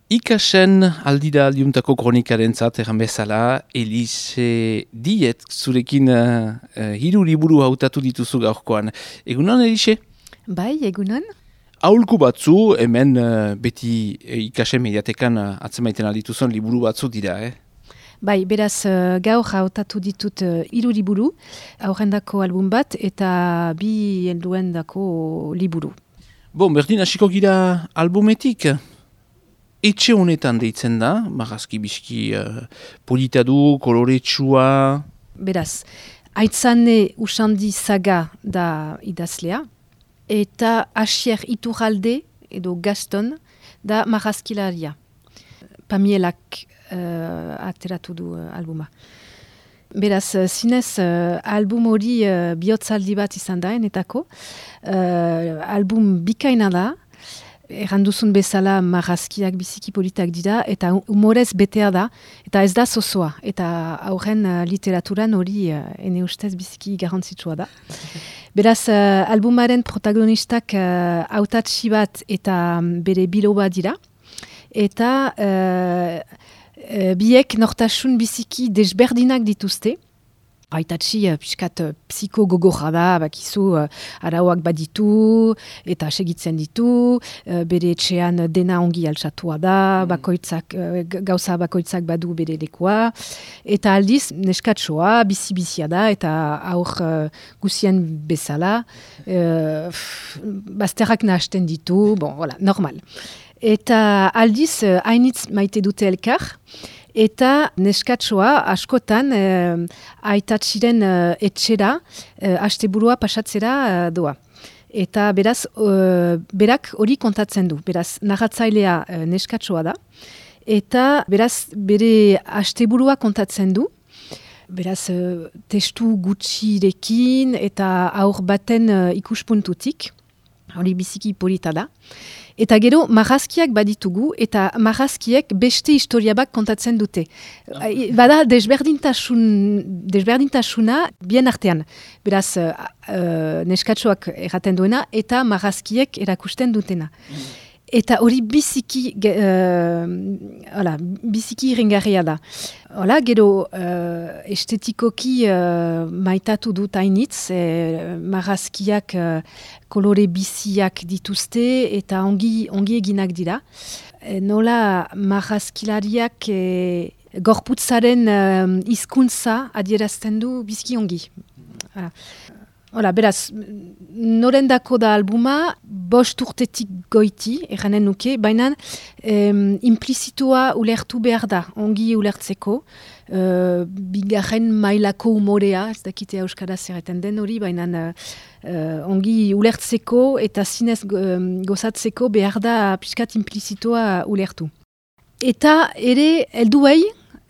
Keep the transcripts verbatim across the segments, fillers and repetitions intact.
Ikasen aldira aldiuntako kronikaren zat egan bezala, Elise Diet, zurekin uh, uh, hiru liburu hautatu dituzu gaurkoan. Egunon, Elise? Bai, egunon. Aholku batzu, hemen uh, beti uh, Ikasen mediatekan uh, atzemaiten aldituzun liburu batzu dira, eh? Bai, beraz, uh, gaur hautatu ditut uh, hiru liburu, aurrendako album bat eta bi helduendako liburu. Bon, berdin hasiko gira albumetik. Etxe honetan deitzen da, marrazki bizki uh, polita du, koloretsua. Beraz, Aitzane Usandi Saga da idazlea, eta Asier Iturralde edo Gaston da marrazkilaria. Pamielak uh, ateratu du uh, albuma. Beraz, uh, zinez, uh, album hori uh, bihotzaldi bat izan da, enetako. Uh, album bikaina da, erranduzun bezala marrazkiak biziki politak dira, eta humorez betea da, eta ez da zozoa. Eta aurren uh, literaturan hori uh, ene ustez biziki garrantzitsua da. Beraz, uh, albumaren protagonistak uh, hautatsi bat eta um, bere biloba dira, eta uh, uh, biek nortasun biziki desberdinak dituzte. Aitatsi uh, piskat uh, psikogogorra da, bakizu uh, arauak baditu eta segitzen ditu, uh, bere etxean dena ongi altsatua da, bakoitzak, uh, gauza bakoitzak badu bere lekua, eta aldiz neskatsoa, bizi-bizia da, eta aur uh, guzien bezala, uh, bazterrak nahasten ditu, bon, voilà, normal. Eta aldiz uh, hainitz maite dute elkar, eta neskatsoa askotan eh, aitatxiren eh, etxera, eh, asteburua pasatzera eh, doa. Eta beraz, eh, berak hori kontatzen du. Beraz, narratzailea eh, neskatsoa da. Eta beraz, bere asteburua kontatzen du. Beraz, eh, testu gutxirekin eta aur baten eh, ikuspuntutik. Hori biziki polita da. Eta gero, marrazkiak baditugu, eta marrazkiek beste historia bat kontatzen dute. Ah. Bada, desberdintasun, desberdintasuna bien artean. Beraz, uh, uh, neskatsoak erraten duena, eta marrazkiek erakusten dutena. Mm. Eta hori biziki, uh, hola, biziki iringarria da. Hola, gero, uh, estetikoki uh, maitatu dut hainitz, eh, marrazkiak uh, kolore biziak dituzte eta ongi, ongi eginak dira. E, nola marrazkilariak eh, gorputzaren uh, hizkuntza adierazten du biziki ongi. Hala. Hola, beraz, norendako da albuma, bost urtetik goiti, erranen nuke, baina em, implizitua ulertu behar da, ongi ulertzeko, uh, bigarren mailako umorea, ez dakite euskaraz erreten den hori, baina uh, ongi ulertzeko eta zinez um, gozatzeko behar da pixkat implizitua ulertu. Eta ere, helduei,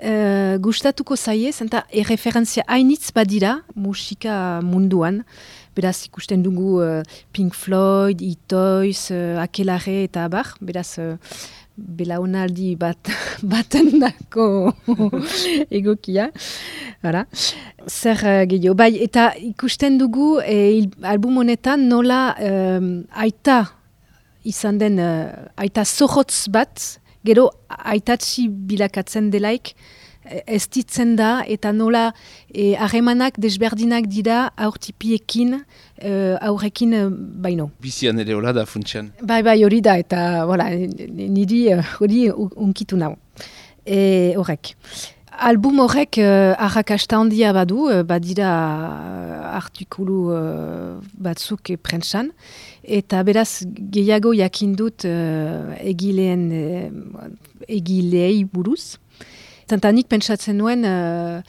Uh, gustatuko zaie, zenta erreferentzia hainitz badira musika munduan. Beraz ikusten dugu uh, Pink Floyd, Itoiz, uh, Akelare eta abar. Beraz uh, belaunaldi bat baten dako egokia. Voilà. Zer uh, gehiago. Bai, eta ikusten dugu eh, album honetan nola um, aita izan den, uh, aita zorrotz bat, gero aitatsi bilakatzen delaik, ez ditzen da, eta nola harremanak desberdinak dira aurtipiekin, uh, aurrekin uh, baino. Bizian ere hola da funtsean. Bai, bai, hori da, eta voilà, niri hori uh, unkitu nau. E, horrek. Album horrek uh, arrakasta handia badu, uh, badira uh, artikulu uh, batzuk e, prentsan, eta beraz gehiago jakindut uh, egileen uh, egilei buruz. Tantanik pentsatzen nuen uh,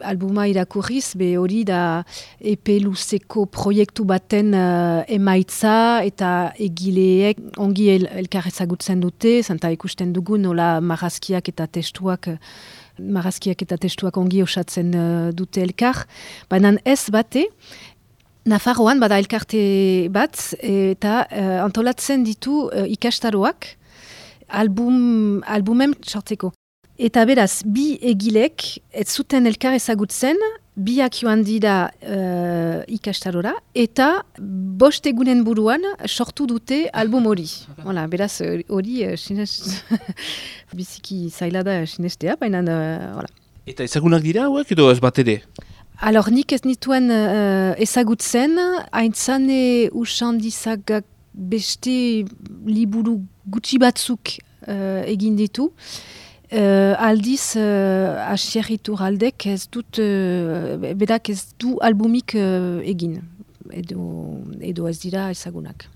albuma irakurriz, be hori da epe luzeko proiektu baten uh, emaitza eta egileek ongi el, elkar ezagutzen dute, zanta ikusten dugu nola marrazkiak eta testuak marrazkiak eta testuak ongi osatzen uh, dute elkar, baina ez bate, Nafarroan bada elkarte bat, eta uh, antolatzen ditu uh, ikastaroak album, albumem sortzeko. Eta beraz, bi egilek ez zuten elkar ezagutzen, biak joan dira uh, ikastarora, eta bost egunen buruan sortu dute album hori. Voilà, beraz, hori uh, sinez... biziki zaila da sinestea, baina... Uh, voilà. Eta ezagunak dira hauek edo ez bat ere? Alors, nik ez nituen uh, ezagutzen, haintzane usandizagak beste liburu gutxi batzuk uh, egin ditu. Uh, aldiz, uh, Asier Iturraldek ez dut, uh, berak ez du albumik uh, egin, edo, edo ez dira ezagunak.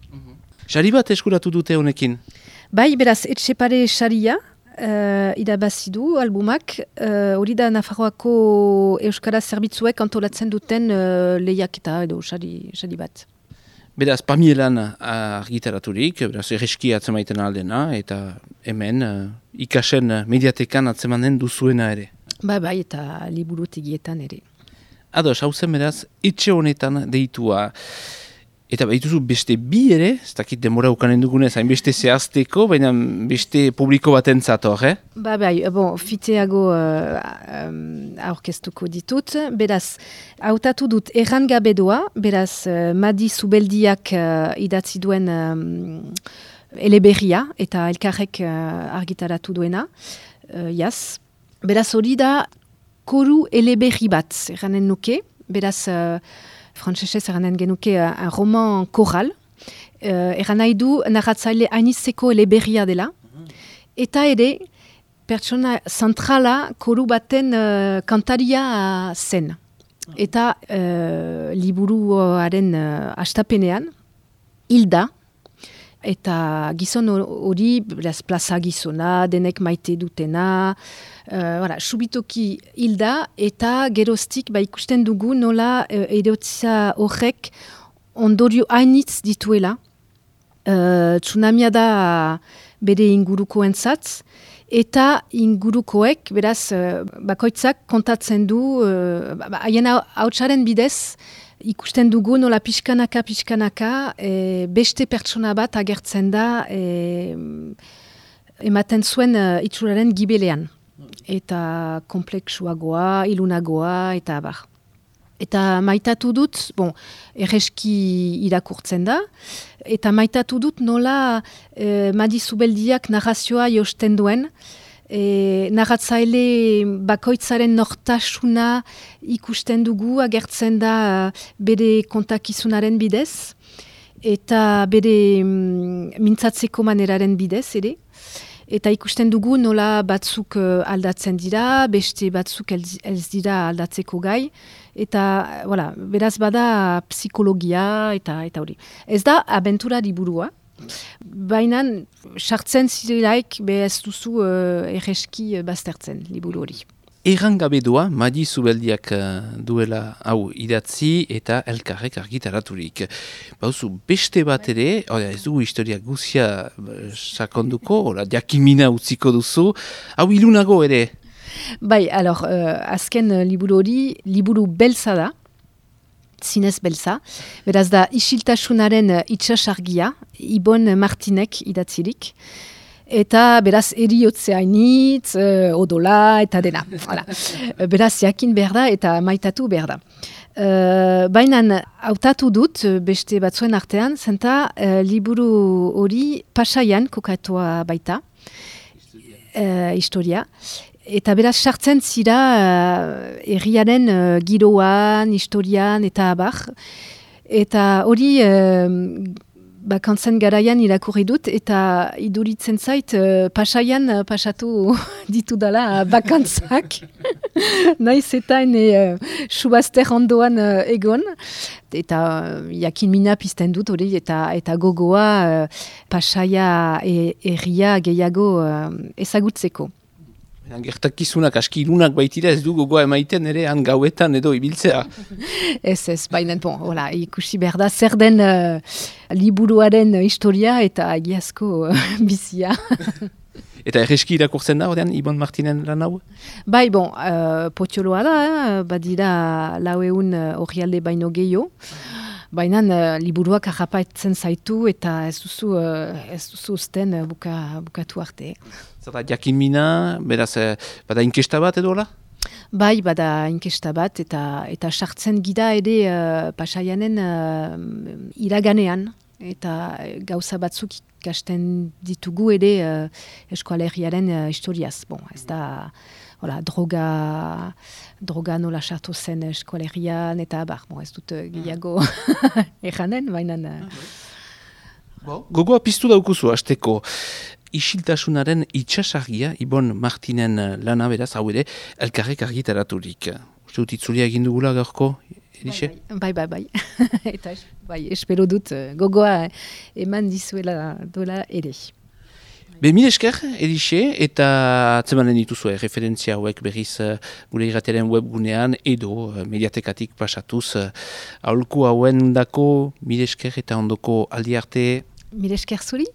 Sari bat eskuratu dute honekin? Bai, beraz, Etxepare saria, uh, irabazi du albumak, hori uh, da Nafarroako Euskara Zerbitzuek antolatzen duten uh, lehiaketa edo sari, sari bat. Beraz, Pamielan argitaraturik, beraz, erreski atzemaiten aldena, eta hemen uh, ikasen mediatekan atzemanen duzuena ere. Ba, bai, eta liburutegietan ere. Ados, hau zen beraz, etxe honetan deitua. Eta behituzu beste bi ere, ez dakit demora ukanen dugunez, hain beste zehazteko, baina beste publiko bat entzator, eh? Ba, bai, bon, fiteago uh, um, aurkeztuko ditut. Beraz, hautatu dut erran gabe doa, beraz, uh, Madi Zubeldiak uh, idatzi duen um, eleberria, eta elkarrek uh, argitaratu duena, uh, jaz. Beraz, hori da, koru eleberri bat, erranen nuke, beraz... Uh, Frantsesez eranen genuke uh, un roman choral. Uh, eran nahi du narratzaile hainitzeko eleberria dela. Eta ere, pertsona zentrala koru baten uh, kantaria uh, zen. Eta uh, liburuaren uh, astapenean, hilda, eta gizon hori, plaza gizona, denek maite dutena, Uh, voilà, subitoki hilda eta geroztik ba, ikusten dugu nola uh, erotzia horrek ondorio hainitz dituela. Uh, tsunamia da bere inguruko entzat, eta ingurukoek, beraz, uh, bakoitzak kontatzen du, haien uh, hautsaren bidez, ikusten dugu nola pixkanaka, pixkanaka, e, beste pertsona bat agertzen da, e, ematen zuen uh, itxuraren gibelean. Eta kompleksuagoa, ilunagoa, eta abar. Eta maitatu dut, bon, erreski irakurtzen da, eta maitatu dut nola eh, Madi Zubeldiak narrazioa josten duen, eh, narratzaile bakoitzaren nortasuna ikusten dugu, agertzen da bere kontakizunaren bidez, eta bere mm, mintzatzeko maneraren bidez, ere. Eta ikusten dugu nola batzuk uh, aldatzen dira, beste batzuk ez, ez dira aldatzeko gai. Eta, voilà, beraz bada psikologia eta eta hori. Ez da abentura liburua, baina sartzen zirelaik be ez duzu uh, erreski baztertzen liburu hori. Erran gabe doa, Madi Zubeldiak uh, duela hau idatzi eta elkarrek argitaraturik. Bauzu, beste bat ere, oda, ez dugu historia guzia uh, sakonduko, ola, jakimina utziko duzu, hau ilunago ere? Bai, alor, uh, azken uh, liburu hori, liburu belza da, zinez belza, beraz da isiltasunaren uh, itxasargia, Ibon Martinek idatzirik, eta beraz eriotzea hainitz, uh, odola eta dena. Voilà. Beraz jakin behar da eta maitatu behar da. Uh, Baina hautatu dut beste batzuen artean, zenta uh, liburu hori Pasaian kokatua baita, uh, historia. Eta beraz sartzen zira uh, herriaren uh, giroan, historian eta abar. Eta hori... Uh, Bakantzen garaian irakurri dut, eta iduritzen zait, uh, pasaian uh, pasatu ditu dala bakantzak. Naiz eta ene uh, subazter ondoan uh, egon. Eta uh, jakin mina pizten dut hori, eta, eta gogoa uh, pasaia herria e, gehiago uh, ezagutzeko. Gertakizunak aski ilunak baitira ez du gogoa emaiten ere han gauetan edo ibiltzea. Ez ez, baina bon, hola, ikusi behar da zer den uh, liburuaren historia eta egiazko uh, bizia. Eta erreski irakurtzen da, ordean, Ibon Martinen lan hau? Bai, bon, uh, potioloa da, eh? Badira laueun orrialde baino gehiago. Baina uh, liburuak harrapatzen zaitu eta ez duzu, uh, ez duzu usten uh, buka, bukatu arte. Zara, jakin mina, beraz, bada inkesta bat edo hola? Bai, bada inkesta bat, eta eta sartzen gira ere uh, Pasaianen uh, iraganean, eta gauza batzuk ikasten ditugu ere uh, eskoaleriaren uh, historiaz. Bon, ez da, hola, droga, droga nola sartu zen eskoalerian, eta bar, bon, ez dut uh, gehiago erranen, baina... Uh, Bo, gogoa piztu daukuzu, hasteko. Isiltasunaren itxasargia, Ibon Martinen lana beraz, hau ere, elkarrek argitaraturik. Uste dut itzulia egin dugula gaurko, Elixe? Bai, bai, bai. Eta bai, espero dut gogoa eman dizuela dola ere. Be, mil esker, Elixe, eta atzemanen dituzue referentzia hauek berriz gure irrateren webgunean edo mediatekatik pasatuz. Aholku hauen dako, mil esker eta ondoko aldi arte. Mil esker zuri?